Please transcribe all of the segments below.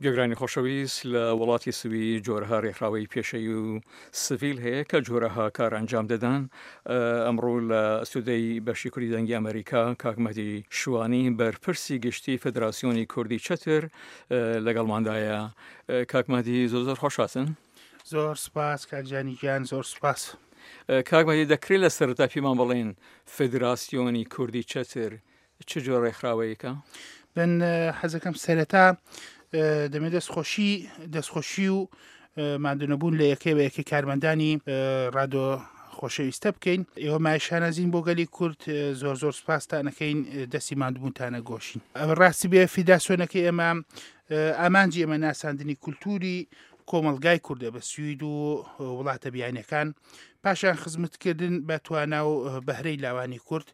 گوێگرانی خۆشەویست لە وڵاتی سوید جۆرەها رێکخراوەی پێشەیی و سڤیل هەیە کە جۆرەها کار ئەنجام دەدەن. ئەمڕۆ لە ئەستودەی بەشی کوردی دەنگی ئەمەریکا کاک مەهدی شوانی بەرپرسی گشتی فدراسیۆنی کوردی چەتر لەگەڵماندایە. کاک مەهدی زۆر زۆر خۆشاتن. زۆر سپاس کاک جانی گیان زۆر سپاس. کاک مەهدی دەکرێت لە سەرەتا پێمان بڵێن فدراسیۆنی کوردی چەتر چ جۆر ڕێکخراوەیەکە؟ من حەزەکەم سەرەتا دەمێ دەستخۆشی دەستخۆشی و مادونەبوون لە یەکەی بە یەکەی کارمەندانی ڕادۆ خۆشەویستە بکەین ئێوە مای شانازین بۆ گەلی کورد زۆر زۆر سپاستانەکەین دەستی مادبوونتانە گۆشین ئەوە ڕاستی بێ فیداسیۆنەکەی ئێمە ئامانجی ئێمە ناساندنی کولتوری کۆمەڵگای کوردە بە سوید و وڵاتە بیانەکان پاشان خزمەتکردن بە توانا و بەهرەی لاوانی کورد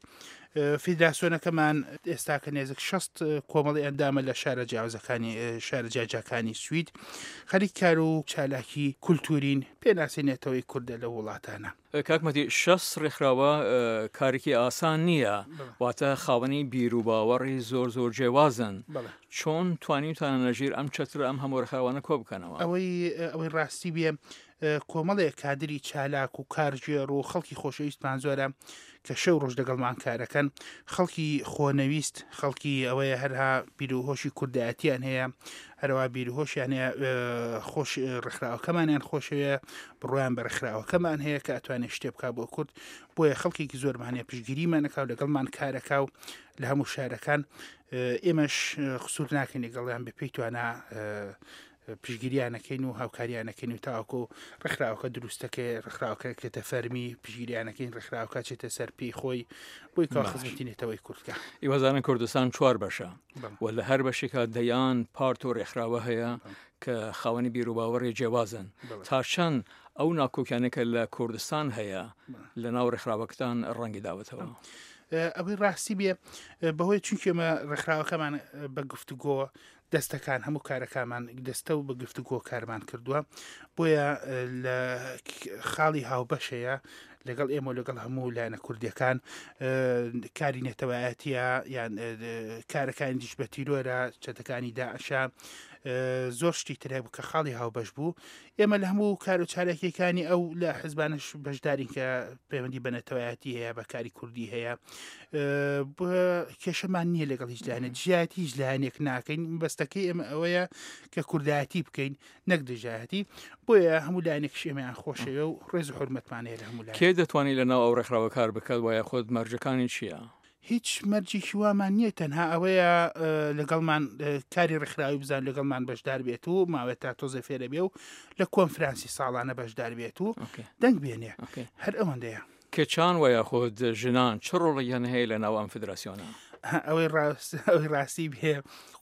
فیدراسیۆنەکەمان ئێستاکە نێزک 6 کۆمەڵی ئەندامە لە شارە جیاوازەکانی شارە جیاجاکانی سوید خەریک کار و چالاکی کولتورین پێناسی نەتەوەی کوردە لە وڵاتانە. کاک مەهدی 6 ڕێکخراوە کارێکی ئاسان نییە واتە خاوەنی بیر و باوەڕی زۆر زۆر جیاوازن چۆن توانیوتانە لەژیر ئەم چەترە ئەم هەموو ڕێکخراوانە کۆ بکەنەوە؟ ئەوەی ئەوەی ڕاستی بێ کۆمەڵێک کادری چالاک و کارگێڕ و خەڵکی خۆشەویستمان زۆرە کە شەو ڕۆژ لەگەڵمان کارەکەن خەڵکی خۆنەویست خەڵکی ئەوەیە هەرها بیرروهۆشی کوردایەتیان هەیە هەروە بیرروهۆشیان هەیە خۆش ڕێکخراوەکەمانیان خۆشەوێ بڕۆیان بە ڕێکخراوەکەمان هەیە کە ئەتوانێت شتێ بک بۆ کورد بۆیە خەڵکێکی زۆرمان هەیە پشگیریمانەکە و لەگەڵمان کارەکە و لە هەموو شارەکان ئێمەش قسوور ناکەین لەگەڵیان بە پێی توانا پشتگیریان ئەکەین و هاوکاریان ئەکەین و تاوەکو ڕێکخراوەکە دروستەکەی ڕێکخراوەکە کرێتە فەرمی پشتگیریان ئەکەین ڕێکخراوەکە چێتە سەر پێی خۆی بۆی کە خزمەتی نەتەوەی کوردکە. ئیوەزانن کوردستان چوار بەشە و لە هەر بەشێکا دەیان پارت و ڕێکخراوە هەیە کە خاوەنی بیروباوەڕی جیاوازن تا چەند ئەو ناکۆکیانە کە لە کوردستان هەیە لە ناو ڕێکخراوەکەتان ڕەنگی داوەتەوە؟ ئەوەی ڕاستی بێ بەهۆی چونکێمە ڕێکخراوەکەمان بە گفتوگۆ دەستەکان هەموو کارەکانمان دەستە و بە گفتوگۆ کارمان کردووە بۆیە لە خاڵی هاوبەشەیە لەگەڵ ئێمە لەگەڵ هەموو لایەنە کوردیەکان کاری نەتەوایەتە یان کارەکانی دیش بە تیرۆرە چەتەکانی داعشە زۆر شتی ترێ بوو کە خاڵی هاوبەش بوو ئێمە لە هەموو کار و چالاکیەکانی ئەو لە حزبانش بەشدارین کە پەیوەندی بە نەتەوایەتی هەیە بە کاری کوردی هەیە کێشەمان نییە لەگەڵ هیچ لایەنە دژایەتی هیچ لایەنێک ناکەین بەستەکەی ئێمە ئەوەیە کە کوردایەتی بکەین نەک دژایەتی بۆیە هەموو لایەنێک ئێمەیان خۆشەوێ و ڕێز و حرمەتمان هەیە لە هەموو کێ دەتوانێت لە ناو ئەو ڕێکخراوە کار بکات وایە خۆت مەرجەکانی چییە؟ هیچ مەرجێکی وامان نییە تەنها ئەوەیە لەگەڵمان کاری ڕێکخراوی بزان لەگەڵمان بەشدار بێت و ماوەێت تا تۆزێ فێرە بێ و لە کۆنفرانسی ساڵانە بەشدار بێت و دەنگ بێنێ هەر ئەوەندەیە. کچان و یاخود ژنان چ ڕۆڵێکیان هەیە لە ناو ئەم فدراسیۆنە؟ ئەوەی ڕاست ئەوەی ڕاستی بێ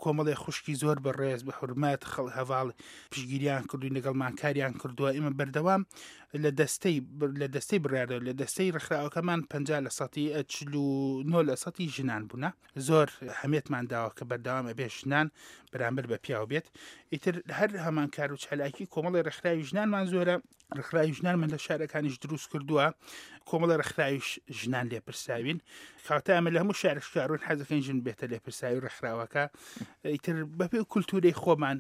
کۆمەڵێ خوشکی زۆر بە ڕێز بە حورمەت خەڵ هەڤاڵ پشگیریان کردوین لەگەڵمان کاریان کردووە ئێمە بەردەوام لە دەستەی لە دەستەی بڕیاردەر لە دەستەی ڕێکخراوەکەمان 50 لە سەتی 49 لە سەتی ژنان بوونە زۆر هەمێتمان داوە کە بەردەوام ئەبێ ژنان بەرامبەر بە پیاو بێت ئیتر هەر هەمان کار و چالاکی کۆمەڵی ڕێکخراوی ژنانمان زۆرە ڕێکخراوی ژنانمان لە شارەکانیش دروست کردووە کۆمەڵی ڕێکخراویش ژنان لێپرساوین کاتە ئەمە لە هەموو شارێک شارون حەزەکەین ژن بێتە لێپرساوی ڕێکخراوەکە ئیتر بەپێ کولتوری خۆمان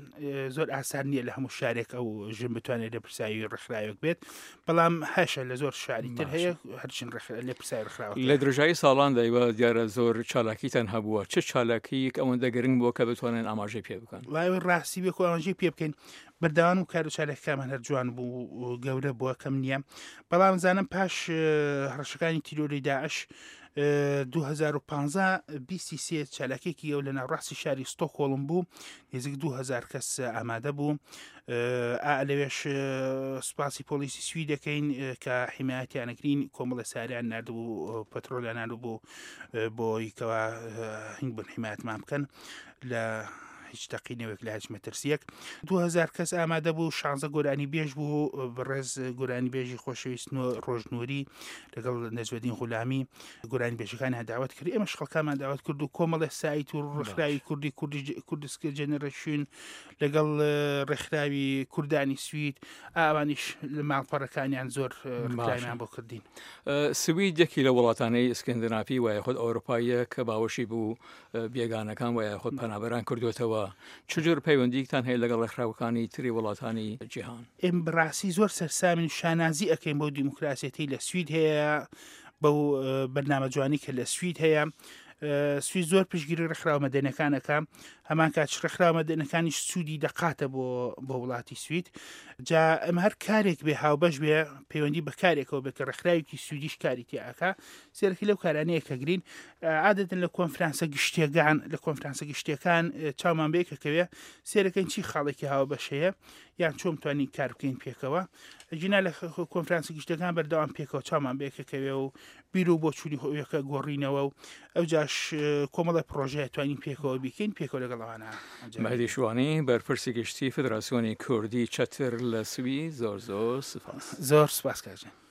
زۆر ئاسان نییە لە هەموو شارێک ئەو ژن بتوانێت لێپرساوی ڕێکخراوێک بێت بەڵام هەشە لە زۆر شاری تر هەیە هەرچین لێپرساوی ڕێکخراوە لە درێژایی ساڵان دایوە دیارە زۆر چالاکیتان هەبووە چ چالاکیک ئەوەندە گرنگ بووە کە بتوانن ئاماژەی پێ بکەن لای ڕاستی بێ ئاماژەی پێ بکەین بەردەوام و کار و چالاکیەکانمان هەر جوان بوو و گەورە بووە کەم نییە بەڵام زانم پاش هەڕەشەکانی تیرۆری داعش 2015 23 چالاکێکی ئەو لە ناوڕاستی شاری ستۆکۆڵم بوو نزیک 2000 کەس ئامادە بوو لەوێش سوپاسی پۆلیسی سوی دەکەین کە حیمایەتیانەکرین کۆمەڵە ساریان نردبوو پەترۆلیان نردبوو بۆی کەوا هنگ بن حیمایەتمان بکەن لە هیچ تەقینەوەک لە هیچ مەترسیەک 2000 کەس ئامادە بوو 16 گۆرانی بێژ بوو بەڕێز گۆرانی بێژی خۆشەویست ڕۆژنووری لەگەڵ نەجمەدین غولامی گۆرانی بێژەکانیان داوت کرد ئێمەش خەڵکانمان داوت کرد و کۆمەڵێ سایت و ڕێکخراوی کوردی کوردی کوردسکە جەنەرەشین لەگەڵ ڕێکخراوی کوردانی سوید ئەوانیش لە ماڵپەڕەکانیان زۆر ڕێکخراویان بۆ کردین. سوید یەکی لە وڵاتانەی ئسکندنافی وایە خود ئەوروپاییە کە باوەشی بوو بێگانەکان و یاخود پەنابەران کردوێتەوە. کردووە. چ جۆر پەیوەندییەکتان هەیە لەگەڵ ڕێکخراوەکانی تری وڵاتانی جیهان؟ ئێمە بەڕاستی زۆر سەرسامین و شانازی ئەکەین بەو دیموکراسیەتەی لە سوید هەیە، بەو بەرنامە جوانی کە لە سوید هەیە. سوید زۆر پشتگیری ڕێکخراوە مەدەنیەکان ئەکا، هەمان کات ڕێکخراوە مەدەنیەکانیش سوودی دەقاتە بۆ بۆ وڵاتی سوید. جا ئەمە هەر کارێک بێ هاوبەش بێ پەیوەندی بە کارێکەوە بێت کە ڕێکخراوێکی سویدیش کاری تیا ئەکا، سێرەکی لەو کارانەیە کە گرین. عادەتەن لە کۆنفرانسە گشتیەکان لە کۆنفرانسە گشتیەکان چاومان بەیەکەکەوێ سێرەکەین چی خاڵێکی هاوبەش هەیە یان چۆن توانین کار بکەین پێکەوە. ژینا لە کۆنفرانسە گشتیەکان بەردەوام پێکەوە چاومان بەیەکەکەوێ و بیر و بۆچوونی هۆیەکە گۆڕینەوە و ئەوجاش کۆمەڵی پرۆژەیە توانین پێکەوە بیکەین پێکەوە لەگەڵ ئەوانە ئەنجام مەهدی شوانی بەرپرسی گشتی فدراسیۆنی کوردی چەتر لە سوید زۆر زۆر سپاس. زۆر سپاس کاک جان.